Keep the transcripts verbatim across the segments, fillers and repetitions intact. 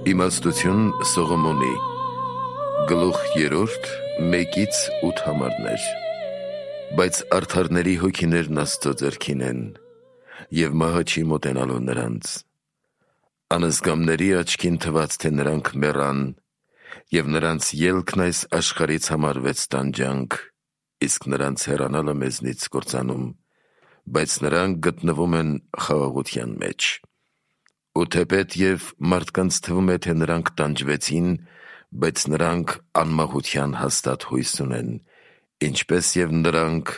Իմաստություն Սողոմոնի Գլուխ երրորդ մեկից ութ համարներ։ Բայց արդարների հոգիներն Աստծո ձեռքին են, և մահը չի մոտենալու նրանց։ Անզգամների աչքին թվաց, թե նրանք մեռան, և նրանց ելքն այս աշխարհից համարվեց տանջանք, իսկ նրանց հեռանալը մեզնից կործանում, բայց նրանք գտնվում են խաղաղության մեջ։ Ու թեպետ և մարդկանց թվում է, թե նրանք տանջվեցին, բայց նրանք անմահության հաստատ հույս ունեն, ինչպես և նրանք,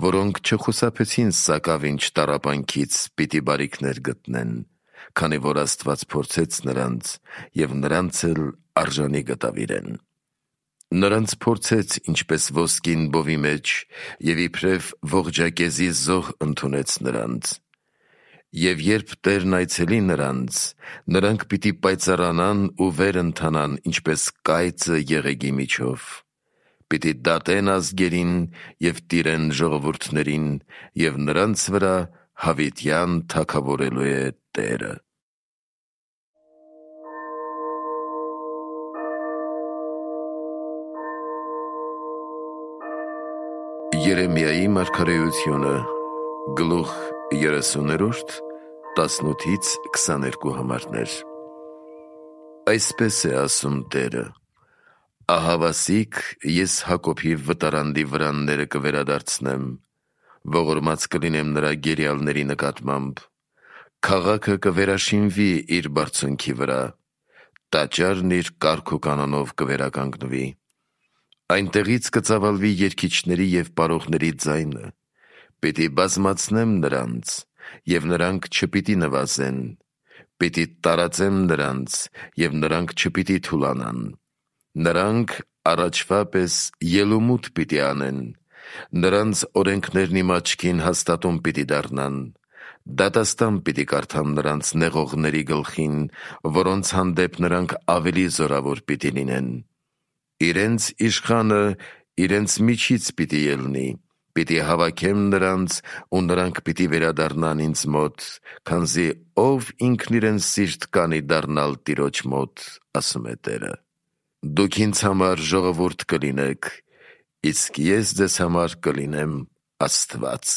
որոնք չխուսափեցին սակավինչ տառապանքից, պիտի բարիքներ գտնեն, քանի որ Աստված փորձեց նրանց, և նրանց էլ արժանի գտավ իրեն։ Նրանց փորձեց, ինչպես ոսկին բովի մեջ, և իբրև ողջակեզի զոհ ընդունեց նրանց։ Եվ երբ Տերն այցելի նրանց, նրանք պիտի պայծառանան ու վեր ընթանան, ինչպես կայծը եղեգի միջով։ Պիտի դատեն ազգերին և տիրեն ժողովուրդներին, և նրանց վրա հավիտյան թագավորելու է Տերը։ Երեմիայի մարգարեությունը, գլուխ երեսուններորդ, տասնութից քսաներկու համարներ։ Այսպես է ասում Տերը. «Ահավասիկ ես Հակոբի վտարանդի վրանները կվերադարձնեմ, ողորմած կլինեմ նրա գերիալների նկատմամբ, քաղաքը կվերաշինվի իր բարձունքի վրա, տաճարն իր կարգ ու կանոնով կվերականգնվի։ Այնտեղից կծավալվի երգիչների և պարողների ձայնը, պիտի բազմացնեմ նրանց, և նրանք չպիտի նվազեն, պիտի տարածեմ նրանց, և նրանք չպիտի թուլանան։ Նրանք առաջվա պես ելումուտ պիտի անեն, նրանց օրենքներն իմ աչքին հաստատուն պիտի դառնան, դատաստան պիտի կարդամ նրանց նեղողների գլխին, որոնց հանդեպ նրանք ավելի զորավոր պիտի լինեն։ Իրենց իշխանը իրենց միջից պիտի ելնի, պիտի հավաքեմ նրանց, ու նրանք պիտի վերադառնան ինձ մոտ, քանզի ով ինքն իրեն սիրտ կանի դառնալ Տիրոջ մոտ, ասում է Տերը։ Դուք ինձ համար ժողովուրդ կլինեք, իսկ ես ձեզ համար կլինեմ Աստված»։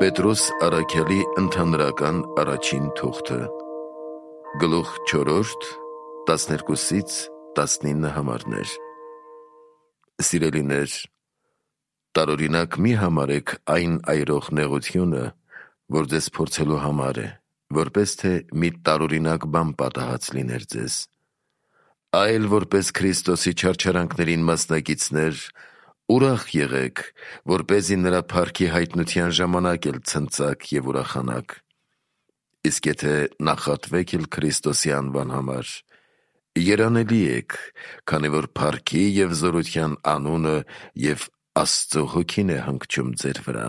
Պետրոս առաքյալի ընդհանրական առաջին թուղթը, գլուխ չորրորդ, տասներկուսից տասնինը համարներ։ Սիրելիներ, տարօրինակ մի համարեք այն այրող նեղությունը, որ ձեզ փորձելու համար է, որպես թե մի տարօրինակ բան պատահած լիներ ձեզ, այլ որպես Քրիստոսի չարչարանքներին մասնակիցներ ուրախ եղեք, որպեսզի նրա փառքի հայտնության ժամանակ էլ ցնծաք և ուրախանաք։ Իսկ եթե նախատվեք էլ Քրիստոսի անվան համար, երանելի եք, քանի որ փառքի և զորության անունը և Աստծո հոգին է հանգչում ձեր վրա։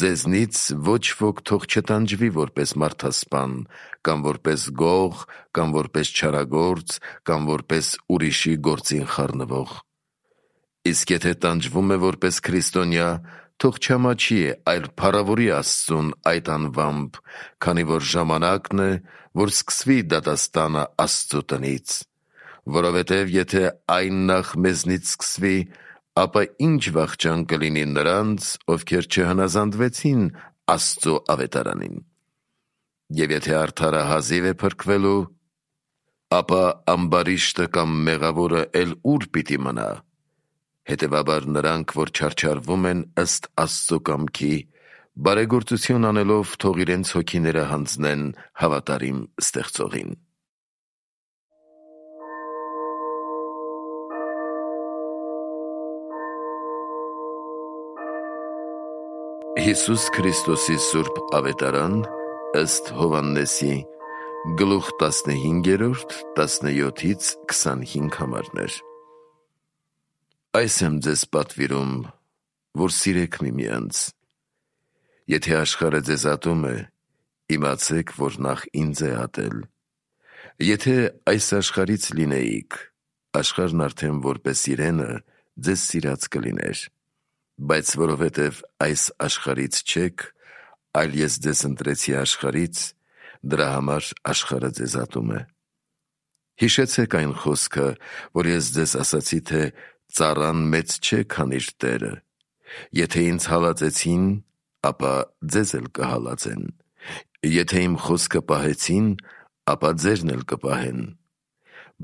Ձեզնից ոչ ոք թող չտանջվի որպես մարդասպան, կամ որպես գող, կամ որպես չարագործ, կամ որպես ուրիշի գործին խառնվող։ Իսկ եթե տանջվում է որպես քրիստոնյա, թող չամաչի, այլ փառավորի Աստծուն այդ անվամբ, քանի որ ժամանակն է, որ սկսվի դատաստանը Աստծո տնից։ Որովհետև եթե այն նախ մեզնից սկսվի, ապա ինչ վախճան կլինի նրանց, ովքեր չհնազանդվեցին Աստծո ավետարանին։ Եվ եթե արդարը հազիվ է փրկվելու, ապա ամբարիշտը կամ մեղավորը էլ ուր պիտի մնա։ Հետևաբար նրանք, որ չարչարվում են ըստ Աստծո կամքի, բարեգործություն անելով, թող իրենց հոգիները հանձնեն հավատարիմ Ստեղծողին։ Հիսուս Քրիստոսի սուրբ ավետարան ըստ Հովհաննեսի, գլուխ տասնհինգերորդ, տասնյոթից քսանհինգ համարներ։ Այս եմ ձեզ պատվիրում, որ սիրեք միմյանց։ Եթե աշխարհը ձեզ ատում է, իմացեք, որ նախ ինձ է ատել։ Եթե այս աշխարհից լինեիք, աշխարհն արդեն որպես իրենը ձեզ սիրած կլիներ։ բայց որովհետև այս աշխարհից չեք, այլ ես ձեզ ընտրեցի աշխարհից, դրա համար աշխարհը ձեզ ատում է։ Հիշեցեք այն խոսքը, որ ես ձեզ ասացի, թե ծառան մեծ չէ, քան իր տերը։ Եթե ինձ հալածեցին, ապա ձեզ էլ կհալածեն։ Եթե իմ խոսքը պահեցին, ապա ձերն էլ կպահեն։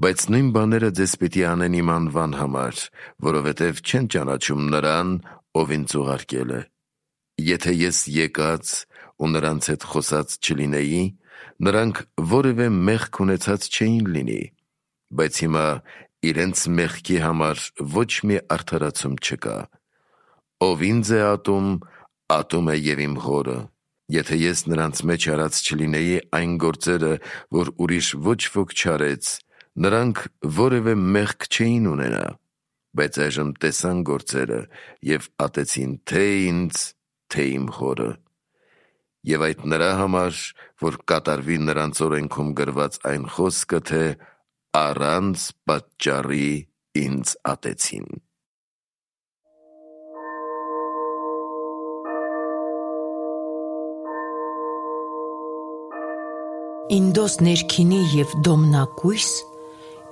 Բայց նույն բաները ձեզ պիտի անեն իմ անվան համար, որովհետև չեն ճանաչում նրան, ով ինձ ուղարկել է։ Եթե ես եկած ու նրանց հետ խոսած չլինեի, նրանք որևէ մեղք ունեցած չէին լինի, բայց հիմա իրենց մեղքի համար ոչ մի արդարացում չկա։ Ով ինձ է ատում, ատում է և իմ Հորը։ Եթե ես նրանց մեջ արած չլինեի այն գործերը, որ ուրիշ ոչ ոք չարեց, նրանք որևէ մեղք չէին ունենա, բայց այժմ տեսան գործերը և ատեցին թե ինձ, թե իմ Հորը։ Եվ այդ նրա համար, որ կատարվի նրանց օրենքում գրված այն խոսքը, թե առանց պատճառի ինձ ատեցին։ Ինդոս ներքինի և դոմնակույս,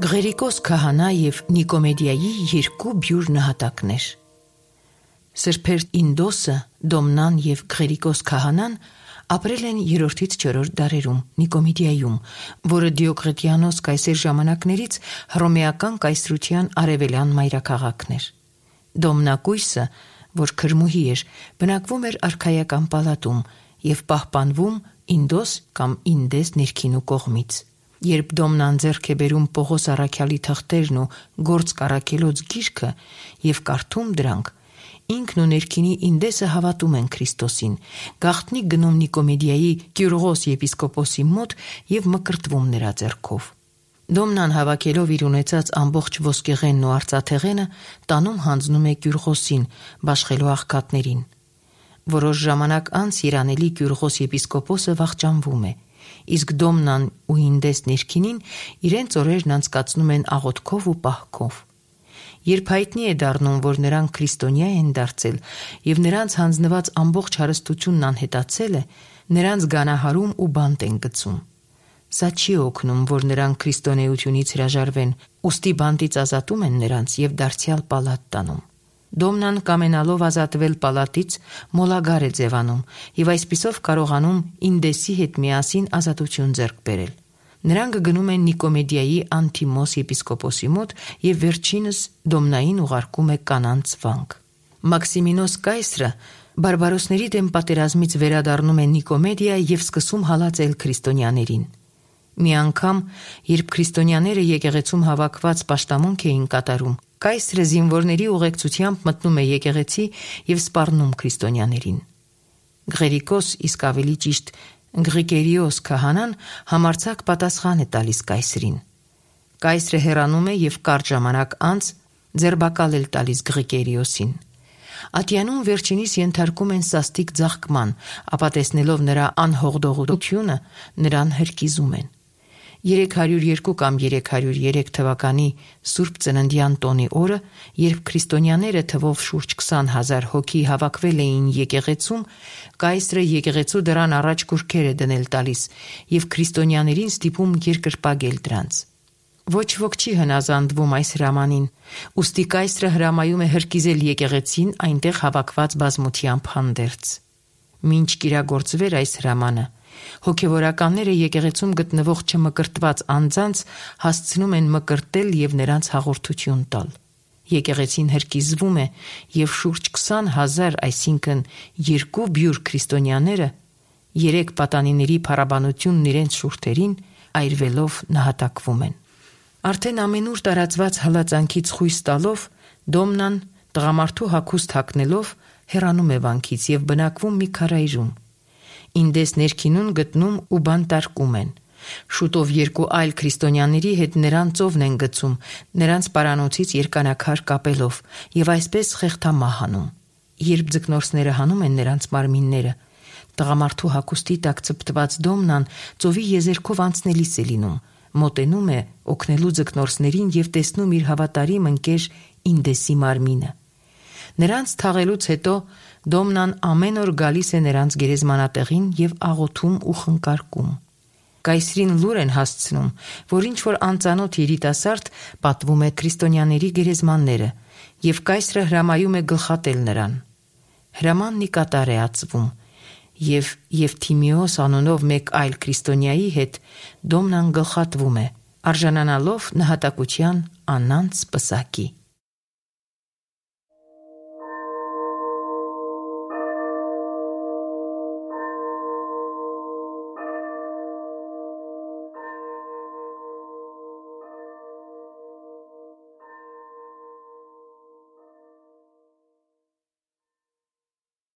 Գղերիկոս քահանա և Նիկոմեդիայի երկու բյուր նահատակներ։ Սրբեր Ինդոսը, Դոմնան և Գղերիկոս քահանան ապրել են երրորդից չորրորդ դարերում Նիկոմեդիայում, որը Դիոկլետիանոս կայսեր ժամանակներից հռոմեական կայսրության արևելյան մայրաքաղաքն էր։ Դոմնակույսը, որ քրմուհի էր, բնակվում էր արքայական պալատում և պահպանվում Ինդոս կամ Ինդես ներքինու կողմից։ Երբ Դոմնան ձեռք է բերում Պողոս առաքյալի թղթերն ու Գործ Կարաքելոց գիրքը և կարդում դրանք, ինքն ու ներքինի Ինդեսը հավատում են Քրիստոսին, գաղտնի գնում Նիկոմեդիայի Կյուրղոս եպիսկոպոսի մոտ և մկրտվում նրա ձեռքով։ Դոմնան հավաքելով իր ունեցած ամբողջ ոսկեղենն ու արծաթեղենը տանում հանձնում է Կյուրղոսին, բաշխելու աղքատներին։ Որոշ ժամանակ անց երանելի Կյուրղոս եպիսկոպոսը վախճանվում է, իսկ Դոմնան ու Ինդես ներքինին իրենց օրերն անցկացնում են աղոթքով ու պահքով։ Երբ հայտնի է դառնում, որ նրանք քրիստոնյա են դարձել և նրանց հանձնված ամբողջ հարստությունն անհետացել է, նրանց գանահարում ու բանտ են գցում։ Սա չի օգնում, որ նրանք քրիստոնեությունից հրաժարվեն, ուստի բանտից ազատում են նրանց և դարձյալ պալատ տանում։ Դոմնան կամենալով ազատվել պալատից մոլագար է ձևանում և այսպիսով կարողանում Ինդեսի հետ միասին ազատություն ձեռք բերել։ Նրանք գնում են Նիկոմեդիայի Անտիմոս եպիսկոպոսի մոտ և վերջինս Դոմնային ուղարկում է կանանց վանք։ Մաքսիմինոս կայսրը բարբարոսների դեմ պատերազմից վերադառնում է Նիկոմեդիա և սկսում հալածել քրիստոնյաներին։ Մի անգամ, երբ քրիստոնյաները եկեղեցում հավաքված պաշտամունք էին կատարում, կայսրը զինվորների ուղեկցությամբ մտնում է եկեղեցի և սպառնում քրիստոնյաներին։ Գղերիկոս, իսկ ավելի ճիշտ Գղիկերիոս քահանան համարձակ պատասխան է տալիս կայսրին։ Կայսրը հեռանում է և կարճ ժամանակ անց ձերբակալ է տալիս Գղիկերիոսին։ Ատյանում վերջինիս ենթարկում են սաստիկ ձաղկման, ապա տեսնելով նրա անհողդողությունը, նրան հրկիզում են։ երեք հարյուր երկու կամ երեք հարյուր երեք թվականի Սուրբ Ծննդյան տոնի օրը, երբ քրիստոնյաները թվով շուրջ քսան հազար հոգի հավաքվել էին եկեղեցում, կայսրը եկեղեցու դռան առաջ կուրքեր է դնել տալիս և քրիստոնյաներին ստիպում երկրպագել դրանց։ Ոչ ոք չի հնազանդվում այս հրամանին, ուստի կայսրը հրամայում է հրկիզել եկեղեցին այնտեղ հավաքված բազմությամբ հանդերձ։ Մինչ կիրագործվեր այս հրամանը, հոգևորականները եկեղեցում գտնվող չմկրտված անձանց հասցնում են մկրտել և նրանց հաղորդություն տալ։ Եկեղեցին հրկիզվում է և շուրջ քսան հազար, այսինքն երկու բյուր քրիստոնյաները, երեք պատանիների փառաբանությունն իրենց շուրթերին այրվելով նահատակվում են։ Արդեն ամենուր տարածված հալածանքից խույս տալով, Դոմնան տղամարդու հագուստ հագնելով հեռանում է վանքից և բնակվում մի քարայրում։ Ինդես ներքինուն գտնում ու բանտարկում են։ Շուտով երկու այլ քրիստոնյաների հետ նրան ծովն են գցում, նրանց պարանոցից երկանակար կապելով և այսպես խեղդամահ անում։ Երբ ձկնորսները հանում են նրանց մարմինները, տղամարդու հագուստի տակ ցպտված Դոմնան ծովի եզերքով անցնելիս է լինում, մոտենում է օգնելու ձկնորսներին և տեսնում իր հավատարիմ ընկեր Ինդեսի մարմինը։ Նրանց թաղելուց հետո Դոմնան ամեն օր գալիս է նրանց գերեզմանատեղին և աղոթում ու խնկարկում։ Կայսրին լուր են հասցնում, որ ինչ-որ անծանոթ երիտասարդ պատվում է քրիստոնյաների գերեզմանները, և կայսրը հրամայում է գլխատել նրան։ Հրամանն ի կատար է ածվում, և Եվթիմիոս անունով մեկ այլ քրիստոնյայի հետ Դոմնան գլխատվում է, արժանանալով նահատակության անանց պսակի։